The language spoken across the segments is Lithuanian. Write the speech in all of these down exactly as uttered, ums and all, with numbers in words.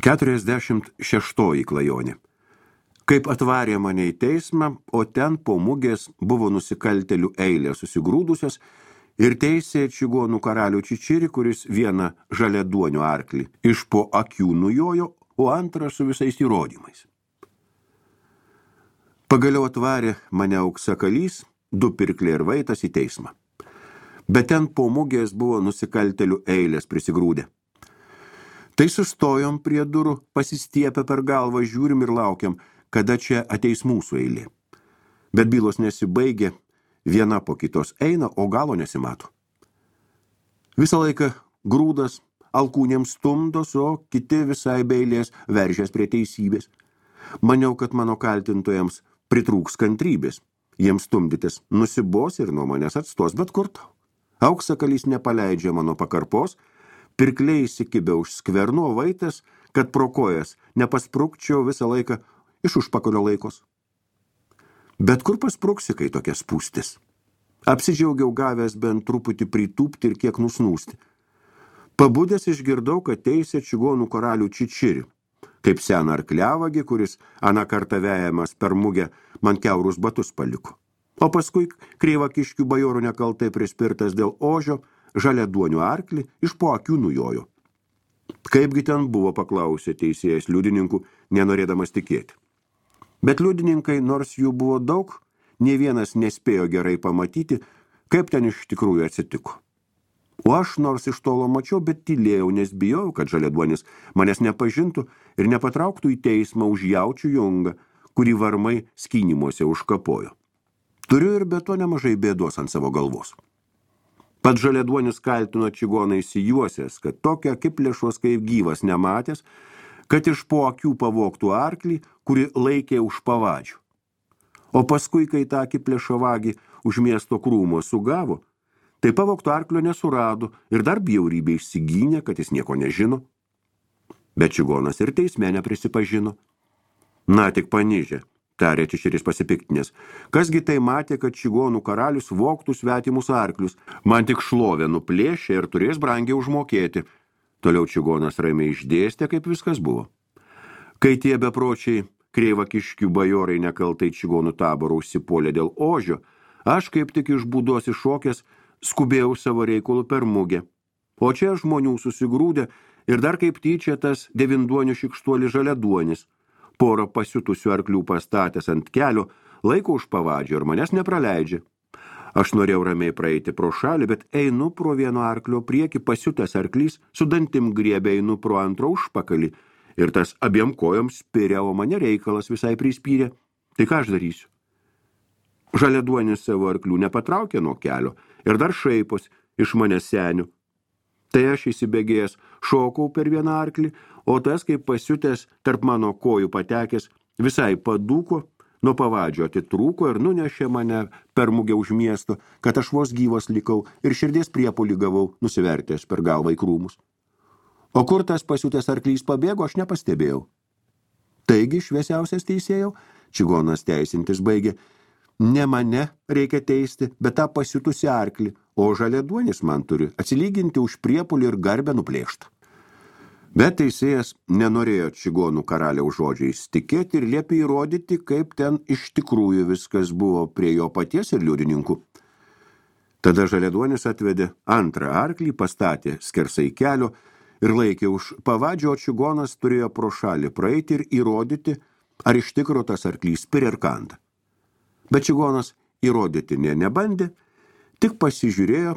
keturiasdešimt šeštoji klajonė. Kaip atvarė mane į teismą, o ten po mugės buvo nusikaltelių eilė susigrūdusios ir teisė čigonų karalių Čičirį, kuris vieną žaliaduonio arklį iš po akių nujojo, o antrą su visais įrodymais. Pagaliau atvarė mane auksakalys, du pirkliai ir vaitas į teismą. Bet ten po mugės buvo nusikaltelių eilės prisigrūdę. Tai sustojom prie durų, pasistiepę per galvą, žiūrim ir laukiam, kada čia ateis mūsų eilė. Bet bylos nesibaigė, viena po kitos eina, o galo nesimato. Visą laiką grūdas alkūnėms stumdos, o kiti visai be eilės veržės prie teisybės. Maniau, kad mano kaltintojams pritrūks kantrybės. Jiems stumdytis nusibos ir nuo manęs atstos, bet kur tau. Auksakalys nepaleidžia mano pakarpos, pirkliai įsikibė už skverno, vaitas, kad pro kojas nepasprukčiau visą laiką iš užpakalio laikos. Bet kur paspruksi, kai tokia spūstis? Apsidžiaugiau gavęs bent truputį pritūpti ir kiek nusnūsti. Pabudęs išgirdau, kad teisė čigonų karalių Čičirį, kaip seną arkliavagį, kuris aną kartą vejamas per mugę man kiaurus batus paliko. O paskui kreivakiškių bajorų nekaltai prispirtas dėl ožio, žaliaduonių arklį iš po akių nujojo. Kaipgi ten buvo, paklausė teisėjas liudininkų, nenorėdamas tikėti. Bet liudininkai, nors jų buvo daug, nė vienas nespėjo gerai pamatyti, kaip ten iš tikrųjų atsitiko. O aš nors iš tolo mačiau, bet tylėjau, nes bijau, kad žaliaduonis manęs nepažintų ir nepatrauktų į teismą už jaučių jungą, kurį varmai skynimuose užkapojo. Turiu ir be to nemažai bėdos ant savo galvos. Pats žaliaduonis kaltino čigoną įsijuosęs, kad tokio akiplėšos kaip gyvas nematęs, kad iš po akių pavogtų arklį, kuri laikė už pavadžių. O paskui, kai tą akiplėšą vagį už miesto krūmo sugavo, tai pavogtų arklio nesurado ir dar bjaurybė išsigynė, kad jis nieko nežino. Bet čigonas ir teisme neprisipažino. Na, tik panižė, tarė Čičiris pasipiktinės. Kasgi tai matė, kad čigonų karalius vogtų svetimus arklius, man tik šlovę nuplėšė ir turės brangiai užmokėti. Toliau čigonas ramiai išdėstė, kaip viskas buvo. Kai tie bepročiai kreivakiškių bajorai nekaltai čigonų taborų užsipuolė dėl ožio, aš kaip tik iš būdos iššokęs skubėjau savo reikalų per mugę. O čia žmonių susigrūdė ir dar kaip tyčia tas devinduonių šikštuolis žaliaduonis. Porą pasiutusių arklių pastatęs ant kelio, laiko už pavadžio ir manęs nepraleidžia. Aš norėjau ramiai praeiti pro šalį, bet einu pro vieno arklio priekį, pasiutęs arklys, su dantim griebė einu pro antro užpakalį ir tas abiem kojom spiria, o mane reikalas visai prispyrė. Tai ką aš darysiu? Žaliaduonis savo arklių nepatraukė nuo kelio ir dar šaipos iš manęs senių. Tai aš įsibėgėjęs šokau per vieną arklį, o tas, kaip pasiutęs tarp mano kojų patekęs, visai padūko, nuo pavadžio atitrūko ir nunešė mane per mugę už miesto, kad aš vos gyvas likau ir širdies priepulį gavau, nusivertęs per galvą į krūmus. O kur tas pasiutęs arklys pabėgo, aš nepastebėjau. Taigi, šviesiausias teisėjau, čigonas teisintis baigė, ne mane reikia teisti, bet tą pasiutusį arklį, o žaliaduonis man turi atsilyginti už priepulį ir garbę nuplėštą. Bet teisėjas nenorėjo čigonų karaliaus žodžiais tikėti ir liepė įrodyti, kaip ten iš tikrųjų viskas buvo prie jo paties ir liudininkų. Tada žaliaduonis atvedė antrą arklį, pastatė skersai kelio ir laikė už pavadžio, o čigonas turėjo pro šalį praeiti ir įrodyti, ar iš tikro tas arklys spiria ir kanda. Bet čigonas įrodyti nė nebandė, tik pasižiūrėjo,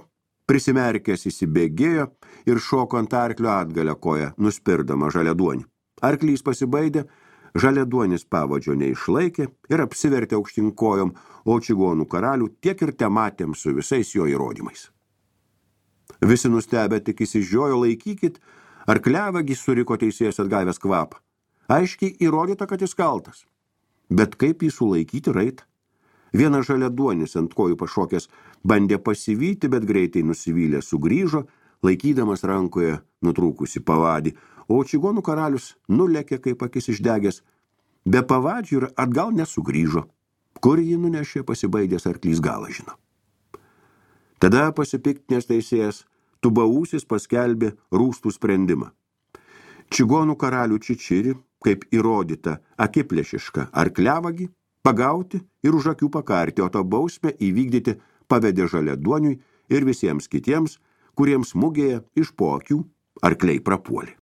prisimerkęs įsibėgėjo ir šoko ant arklio atgalę koją, nuspirdama žaliaduonį. Arklys pasibaidė, žaliaduonis pavadžio neišlaikė ir apsivertė aukštyn kojom, o čigonų karalių tiek ir tematėm su visais jo įrodymais. Visi nustebę tik įsižiojo, laikykit, arkliavagis suriko teisėjas atgavęs kvapą. Aiškiai įrodyta, kad jis kaltas. Bet kaip jį sulaikyti raitą? Vienas žaliaduonis ant kojų pašokęs bandė pasivyti, bet greitai nusivylė sugrįžo, laikydamas rankoje nutrūkusi pavadį, o čigonų karalius nulekė kaip akis išdegęs, be pavadžių ir atgal nesugrįžo. Kur jį nunešė, pasibaidęs arklys galą žino. Tada pasipiktinęs teisėjas Tubaūsis paskelbė rūstų sprendimą. čigonų karalių Čičirį, kaip įrodyta akiplėšišką arkliavagį, pagauti ir už akių pakarti, o tą bausmę įvykdyti pavedė Žaliaduoniui ir visiems kitiems, kuriems mugėje iš po akių arkliai prapuolė.